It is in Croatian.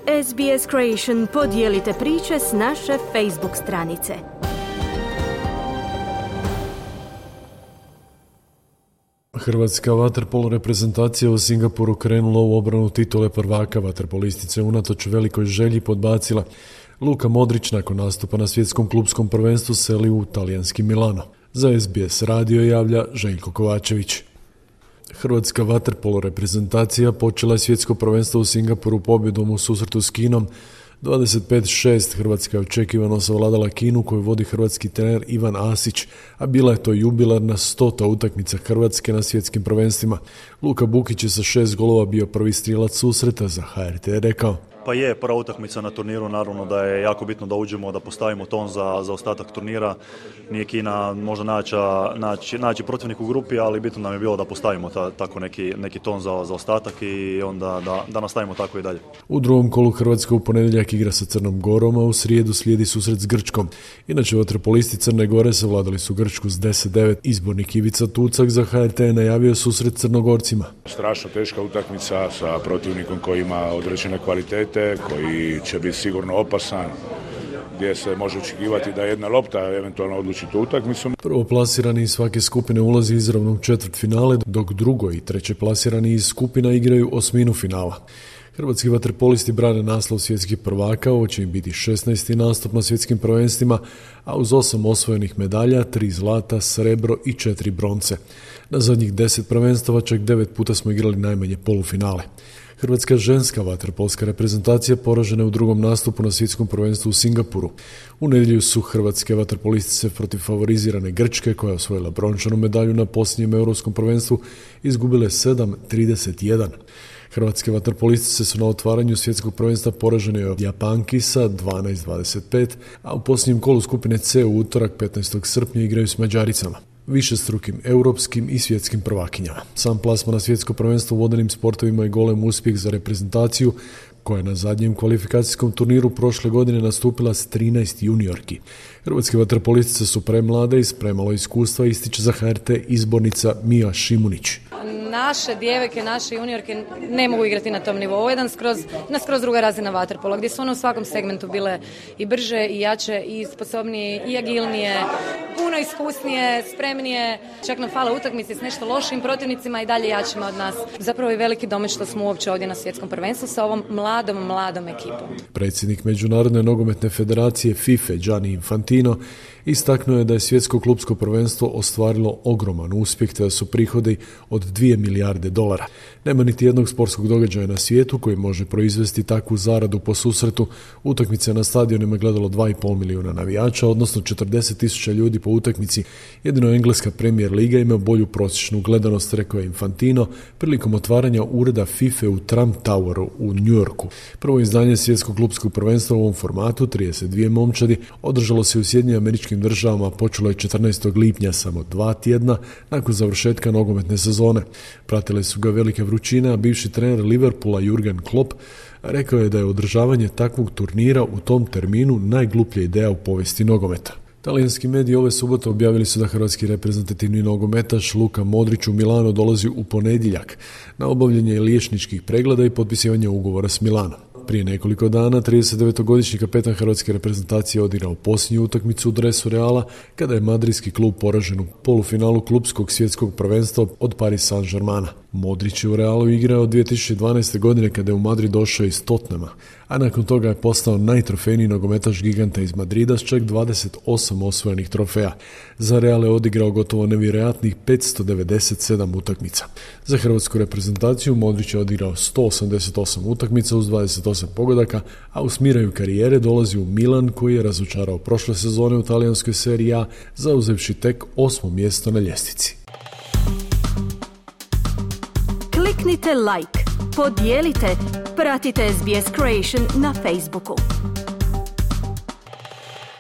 SBS Creation, podijelite priče s naše Facebook stranice. Hrvatska vaterpolo reprezentacija u Singapuru krenula u obranu titule prvaka. Vaterpolistice unatoč velikoj želji podbacila. Luka Modrić nakon nastupa na svjetskom klupskom prvenstvu seli u talijanski Milano. Za SBS radio javlja Željko Kovačević. Hrvatska vaterpolo reprezentacija počela je svjetsko prvenstvo u Singapuru pobjedom u susretu s Kinom. 25-6 Hrvatska je očekivano savladala Kinu koju vodi hrvatski trener Ivan Asić, a bila je to jubilarna 100. utakmica Hrvatske na svjetskim prvenstvima. Luka Bukić je sa 6 golova bio prvi strijelac susreta. Za HRT je rekao: Pa je prva utakmica na turniru, naravno da je jako bitno da uđemo, da postavimo ton za ostatak turnira. Nije Kina možda naći protivnik u grupi, ali bitno nam je bilo da postavimo tako neki ton za ostatak i onda da nastavimo tako i dalje. U drugom kolu Hrvatska u ponedjeljak igra sa Crnom Gorom, a u srijedu slijedi susret s Grčkom. Inače, vaterpolisti Crne Gore savladali su Grčku s 10-9. Izbornik Ivica Tucak za HRT je najavio susret Crnogorcima. Strašno teška utakmica sa protivnikom koji ima određene kvalitete, koji će biti sigurno opasan, gdje se može očekivati da jedna lopta eventualno odluči tu utakmicu. Prvoplasirani iz svake skupine ulazi izravno u četvrtfinale, dok drugo i treće plasirani iz skupina igraju osminu finala. Hrvatski vaterpolisti brane naslov svjetskih prvaka, ovo će im biti 16. nastup na svjetskim prvenstvima, a uz 8 osvojenih medalja, 3 zlata, srebro i 4 bronce. Na zadnjih 10 prvenstava čak 9 puta smo igrali najmanje polufinale. Hrvatska ženska vaterpolska reprezentacija poražena je u drugom nastupu na svjetskom prvenstvu u Singapuru. U nedjelju su hrvatske vaterpolistice protiv favorizirane Grčke, koja je osvojila brončanu medalju na posljednjem europskom prvenstvu, izgubile 7-31. Hrvatske vaterpolistice su na otvaranju svjetskog prvenstva poražene od Japanki sa 12-25, a u posljednjem kolu skupine C u utorak 15. srpnja igraju s Mađaricama, višestrukim europskim i svjetskim prvakinjama. Sam plasman na svjetsko prvenstvo u vodenim sportovima je golem uspjeh za reprezentaciju, koja je na zadnjem kvalifikacijskom turniru prošle godine nastupila s 13 juniorki. Hrvatske vaterpolistice su premlade i s premalo iskustva, ističe za HRT izbornica Mija Šimunić. Naše djevojke, naše juniorke ne mogu igrati na tom nivou. Ovo je skroz druga razina vaterpola, gdje su one u svakom segmentu bile i brže, i jače, i sposobnije, i agilnije, puno iskusnije, spremnije. Čak nam fale utakmice s nešto lošim protivnicima i dalje jačima od nas. Zapravo je veliki domet što smo uopće ovdje na svjetskom prvenstvu sa ovom mladom ekipom. Predsjednik Međunarodne nogometne federacije FIFA Gianni Infantino istaknuo je da je svjetsko klupsko prvenstvo ostvarilo ogroman uspjeh te da su prihodi od 2 milijarde dolara. Nema niti jednog sportskog događaja na svijetu koji može proizvesti takvu zaradu po susretu. Utakmice na stadionima gledalo 2,5 milijuna navijača, odnosno 40.000 ljudi po utakmici. Jedino engleska Premier Liga ima bolju prosječnu gledanost, rekao je Infantino prilikom otvaranja ureda FIFA u Trump Toweru u New Yorku. Prvo izdanje svjetskog klupskog prvenstva u ovom formatu, 32 momčadi, održalo se u Sjedinjenim Američkim Državama, počelo je 14. lipnja, samo 2 tjedna nakon završetka nogometne sezone. Pratile su ga velike vrućine, a bivši trener Liverpoola Jurgen Klopp rekao je da je održavanje takvog turnira u tom terminu najgluplja ideja u povijesti nogometa. Talijanski mediji ove subote objavili su da hrvatski reprezentativni nogometaš Luka Modrić u Milano dolazi u ponedjeljak na obavljanje liječničkih pregleda i potpisivanje ugovora s Milanom. Prije nekoliko dana 39-godišnji kapetan hrvatske reprezentacije odigrao posljednju utakmicu u dresu Reala kada je madridski klub poražen u polufinalu klupskog svjetskog prvenstva od Paris Saint-Germaina. Modrić je u Realu igrao od 2012. godine kada je u Madrid došao iz Tottenhama, a nakon toga je postao najtrofejniji nogometaš giganta iz Madrida s čak 28 osvojenih trofeja. Za Real je odigrao gotovo nevjerojatnih 597 utakmica. Za hrvatsku reprezentaciju Modrić je odigrao 188 utakmica uz 28 pogodaka, a u smiraju karijere dolazi u Milan koji je razočarao prošle sezone u talijanskoj seriji A, zauzevši tek 8. mjesto na ljestvici. Kliknite like, podijelite, pratite SBS Creation na Facebooku.